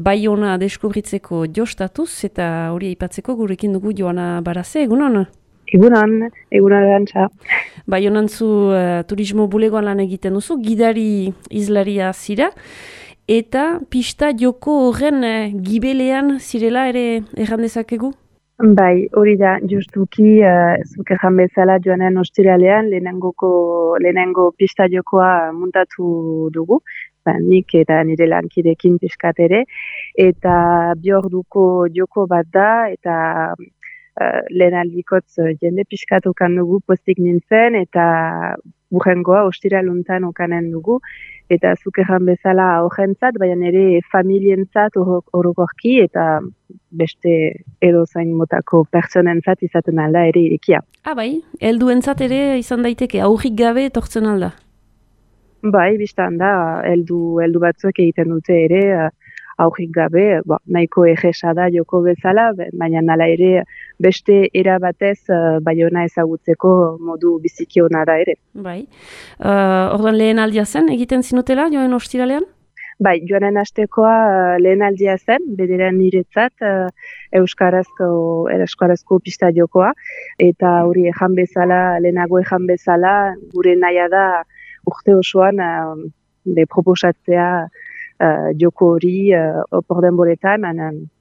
Baiona deskubritzeko jostatuz, eta hori aipatzeko gurekin dugu Joana Baraze, egunon? Egunon erantza. Baionan zu turismo bulegoan lan egiten duzu, gidari izlaria zira, eta pista joko horren gibelean zirela ere erran dezakegu? Bai, hori da, justuki, zuk erran bezala joanen ostiralean lehenengo pista jokoa muntatu dugu, nik eta nire lankidekin pixkat ere, eta bi orduko joko bat da, eta lehen aldikotz jende pixkat okan dugu postik nintzen, eta burrengoa ostiraluntan okanen dugu, eta zuk erran bezala horrentzat, baina ere familientzat orokorki, eta beste edozain motako pertsonentzat izaten alda ere irekia. Bai, helduentzat ere izan daiteke, aurrik gabe etortzen alda? Bai, biztan da, heldu batzuek egiten dute ere, aurrik gabe, nahiko egesa da joko bezala, baina nala ere beste era batez Baiona ezagutzeko modu biziki ona da ere. Bai, orduan lehen aldia zen egiten zinutela joan ostiralean? Bai, joanen hastekoa lehen aldia zen, bederen niretzat euskarazko pista jokoa, eta hori lehenago ejan bezala, gure nahia da urte osoan proposatzea joko hori opor denboretan,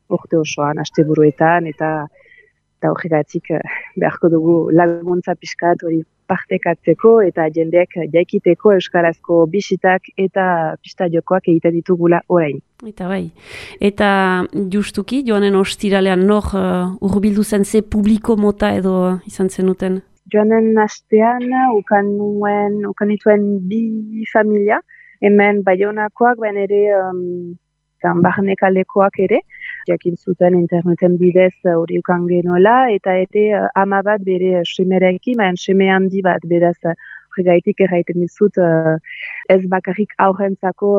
urte osoan, asteburuetan, eta horregatik beharko dugu laguntza pixkat hori partekatzeko eta jendeak jaikiteko euskarazko bisitak eta pista jokoak egiten ditugula orain. Eta bai. Eta justuki, joanen ostiralean nor hurbildu zen ze publiko mota edo izan zenuten? Joanen astean ukan nituen bi familia, hemen Baionakoak, baina ere barnekaldekoak ere, jakin zuten interneten bidez hori ukan genuela, eta ere ama bat bere semerekin, baina seme handi bat, beraz horregaitik erraiten dizut ez bakarrik aurrentzako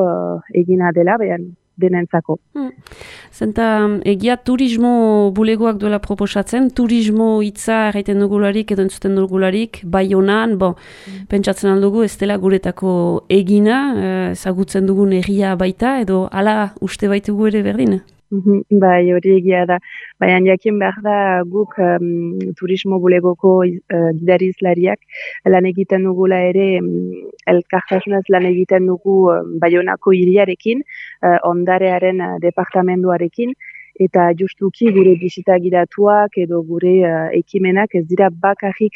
egina dela, baina denentzako. Zenta egia turismo bulegoak duela proposatzen, turismo hitza erraiten dugularik edo entzuten dugularik, Baionan, pentsatzen aldugu ez dela guretako egina, ezagutzen dugun egia baita, edo hala uste baitugu ere berdin? Bai, hori egia da. Baina jakin behar da guk turismo bulegoko gidarizlariak lan egiten dugula ere elkartasunez lan egiten dugu Baionako hiriarekin, ondarearen departamenduarekin, eta justuki gure bisita gidatuak edo gure ekimenak ez dira bakarrik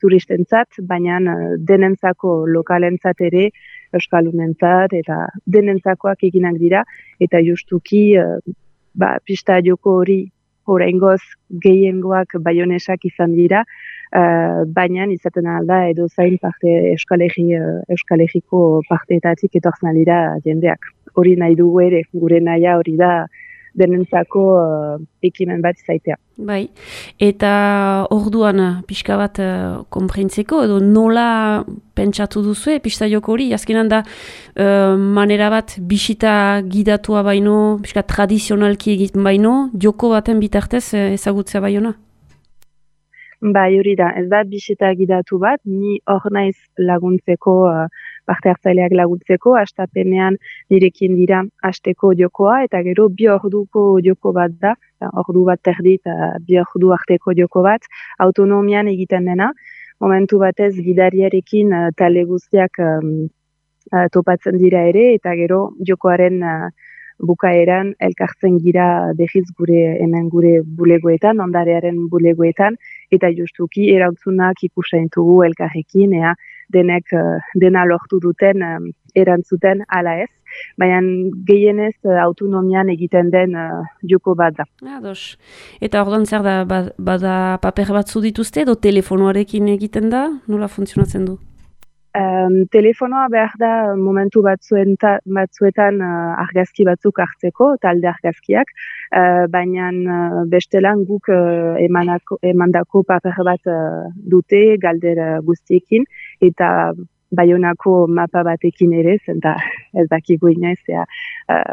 turistentzat, baina denentzako lokalentzat ere, euskalunentzat eta denentzakoak eginak dira, eta justuki pista joko hori oraingoz gehiengoak baionesak izan dira, baina izaten alda edo zain parte Euskal Herriko parteetatik etortzen dira jendeak. Hori nahi dugu ere, gure nahia hori da denentzako ekimen bat izaitea. Bai, eta orduan pixka bat konprentzeko, edo nola pentsatu duzue pista joko hori, azkenan da manera bat bisita gidatua baino, pixka tradizionalki egiten baino, joko baten bitartez ezagutzea Baiona? Bai, hori da, ez da bisita gidatu bat, ni hor naiz laguntzeko, parte hartzaileak laguntzeko, hastapenean nirekin dira hasteko jokoa, eta gero bi orduko joko bat da, ordu bat terdi eta bi ordu arteko joko bat, autonomian egiten dena, momentu batez gidariarekin talde guztiak topatzen dira ere, eta gero jokoaren bukaeran elkartzen gira dehiz hemen gure bulegoetan, ondarearen bulegoetan, eta justuki erantzunak ikusten dugu elkarrekin, denek dena lortu duten erantzuten ala ez, baina gehienez autonomian egiten den joko bat da. Ados. Eta orduan zer da, bada paper batzu dituzte edo telefonoarekin egiten da? Nola funtzionatzen du? Telefonoa behar da momentu batzuetan argazki batzuk hartzeko, talde argazkiak, baina bestelan guk emandako paper bat dute galdera guztiekin, eta Baionako mapa batekin ere, zenta ez dakigu inoiz,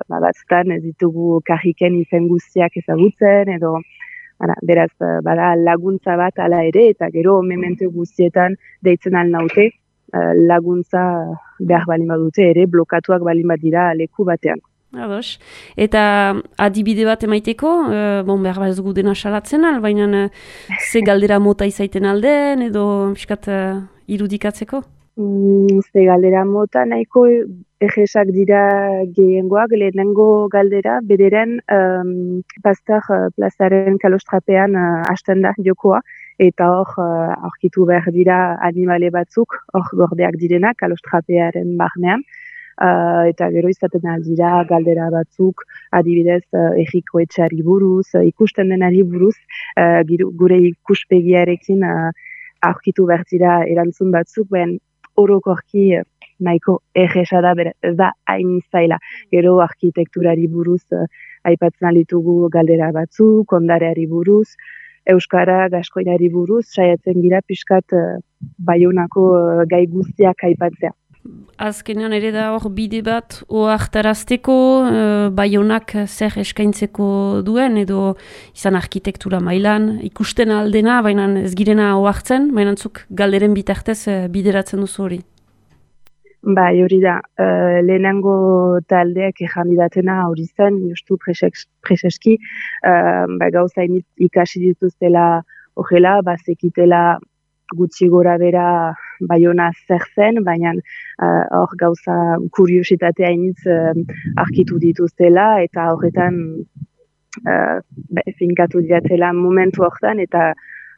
batzutan ez ditugu karriken izen guztiak ezagutzen, edo beraz bada laguntza bat ala ere, eta gero memente guztietan deitzen alnaute, laguntza behar balin badute ere, blokatuak balin bat dira leku batean. Ados. Eta adibide bat emaiteko, behar ez gu dena salatzen al, baina ze galdera mota izaiten alden, edo piskat irudikatzeko? Ze galdera mota nahiko egesak dira gehiengoak, lehenengo galdera, bederen Pasteur plazaren kalostrapean hasten da jokoa, eta hor aurkitu behar dira animale batzuk, hor gordeak direnak kalostrapearen barnean. Eta gero izaten aldira galdera batzuk, adibidez egiko etxari buruz, ikusten denari buruz, gure ikuspegiarekin aurkitu behar dira erantzun batzuk, ben orokorki nahiko egesa da, ez da hain zaila. Gero arkitekturari buruz aipatzen ditugu galdera batzuk, ondareari buruz, euskara, gaskoinari buruz, saiatzen gira pixkat Baionako gai guztiak aipatzea. Azkenean ere da hor bide bat ohartarazteko Baionak zer eskaintzeko duen edo izan arkitektura mailan ikusten aldena, baina ez girena ohartzen, baina zuk galderen bitartez bideratzen duzu hori. Bai, hori da, lehenengo taldeak ejandidatena hori zen, justu preseski, gauza ikasi dituztela horrela, bazekitela gutxi gora bera Baiona zer zen, baina hor gauza kuriositatea initz arkitu dituztela, eta horretan finkatu diatela momentu horretan, eta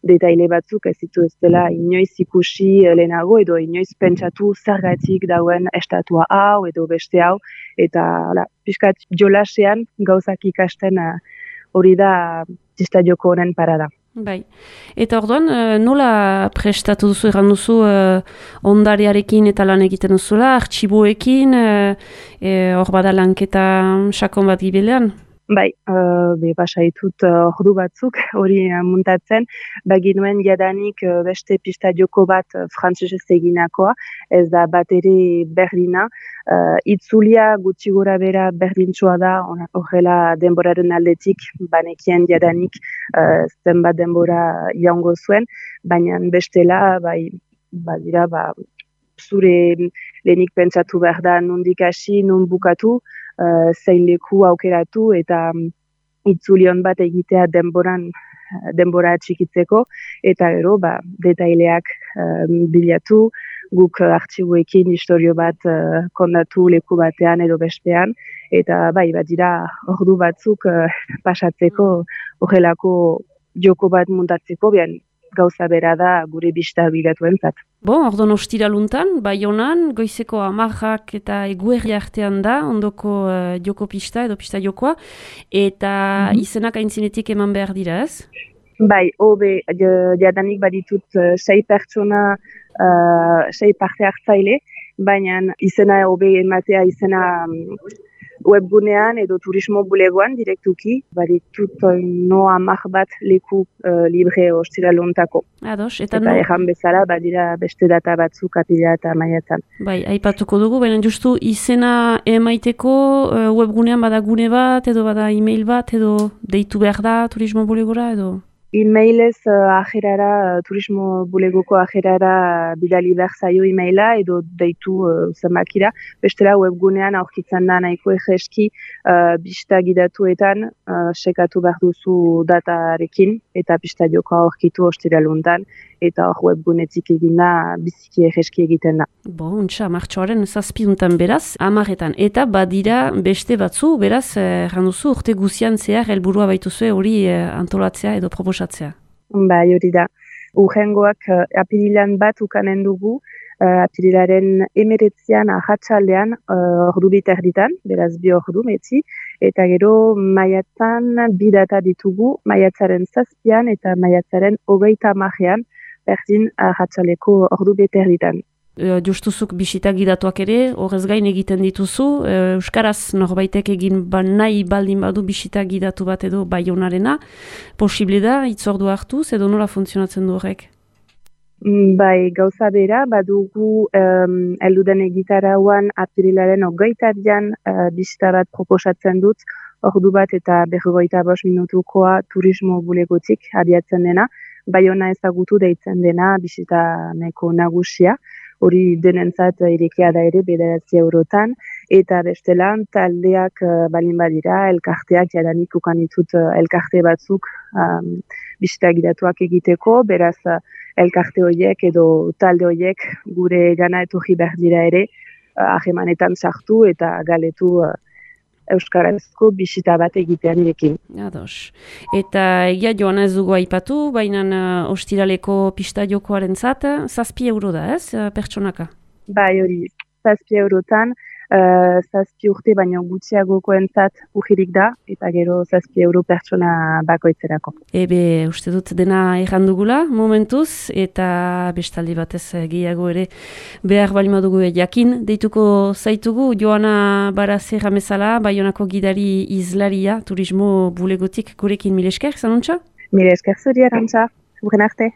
detaile batzuk ez dituztela inoiz ikusi lehenago, edo inoiz pentsatu zergatik dauen estatua hau, edo beste hau, eta pixkat jolasean gauzak ikasten hori da txista joko honen parada. Bai. Eta orduan, nola prestatu duzu, erran duzu ondarearekin eta lan egiten duzula, artxiboekin, hor bada lanketa sakon bat gibelean? Bai, basaitut ordu batzuk hori muntatzen, baginuen jadanik beste pista joko bat frantsesez eginakoa, ez da bat ere berdina, itzulia gutxi gora bera berdintxoa da, horrela denboraren aldetik, banekien jadanik zenbat denbora jaungo zuen, baina bestela, badira, zure lehenik pentsatu behar da nondik hasi, non bukatu, zein leku aukeratu eta itzulion bat egitea denbora txikitzeko, eta gero detaileak bilatu, guk artxiboekin historio bat kondatu leku batean edo bestean, eta badira ordu batzuk pasatzeko horrelako joko bat muntatzeko, gauza bera da gure bista bilatuentzat. Ordon ostiraluntan, Baionan, goizeko 10 eta eguerri artean da, ondoko joko pista edo pista jokoa, eta izenak aintzinetik eman behar dira, ez? Bai, jadanik baditut 6 pertsona, 6 parte hartzaile, baina izena ematea izena webgunean edo turismo bulegoan direktuki, baditut no 10 bat leku libre ostiralontako. Ados, eta erran bezala, badira beste data batzuk apila eta maiatzan. Bai, aipatuko dugu, baina justu izena emaiteko webgunean bada gune bat, edo bada e-mail bat, edo deitu behar da turismo bulegora, edo? E-mailez ajerara, turismo bulegoko ajerara bidali behar zaio e-maila edo deitu zenbakira. Bestela webgunean aurkitzen da nahiko egeski bista gidatuetan sekatu behar duzu datarekin eta bista joka aurkitu ostiraluntan eta hor webgunetik eginda biziki egeski egiten da. Untxa, martxoaren 7 beraz, 10etan. Eta badira beste batzu, beraz, randuzu urte guzian zehar helburua baituzue hori antolatzea edo proposatzea. Bai, hori da. Urrengoak apirilan bat ukanen dugu, apirilaren 19an ahatsaldean ordu biterditan, beraz 2 ordu metzi, eta gero maiatzan 2 data ditugu, maiatzaren 7an eta maiatzaren 30ean, berdin ahatsaleko ordu biterditan. Justuzuk bisita gidatuak ere, horrez gain egiten dituzu, euskaraz norbaitek egin nahi baldin badu bisita gidatu bat edo Baionarena, posible da, hitzordu hartuz, edo nola funtzionatzen du horrek? Bai, gauza bera, badugu elduden egitarauan apirilaren 20an bisita bat proposatzen dut, ordu bat eta 45 minutukoa turismo bulegotik abiatzen dena, Baiona ezagutu deitzen dena bisita nahiko nagusia. hori denentzat irekia da ere 9 eurotan, eta bestelan taldeak balin badira, elkarteak jadanik ukan ditut elkarte batzuk bisita gidatuak egiteko, beraz elkarte horiek edo talde horiek gure gana etorri behar dira ere, ahemanetan sartu eta galetu euskarazko bisita bat egitean irekin. Ados. Eta egia joan ez dugu aipatu, baina ostiraleko pista jokoaren zat, 7 euro da ez, pertsonaka? Bai, hori, 7 eurotan, 7 urte baino gutxiagokoentzat urririk da, eta gero 7 euro pertsona bakoitzerako. Ebe, uste dut dena errandugula momentuz, eta bestaldi batez gehiago ere behar balima dugu jakin. Deituko zaitugu, Joana Barazer amezala, Baionako gidari izlaria, turismo bulegotik gurekin mil esker, zanuntza? Mil esker zuri, Arantxa, urren arte.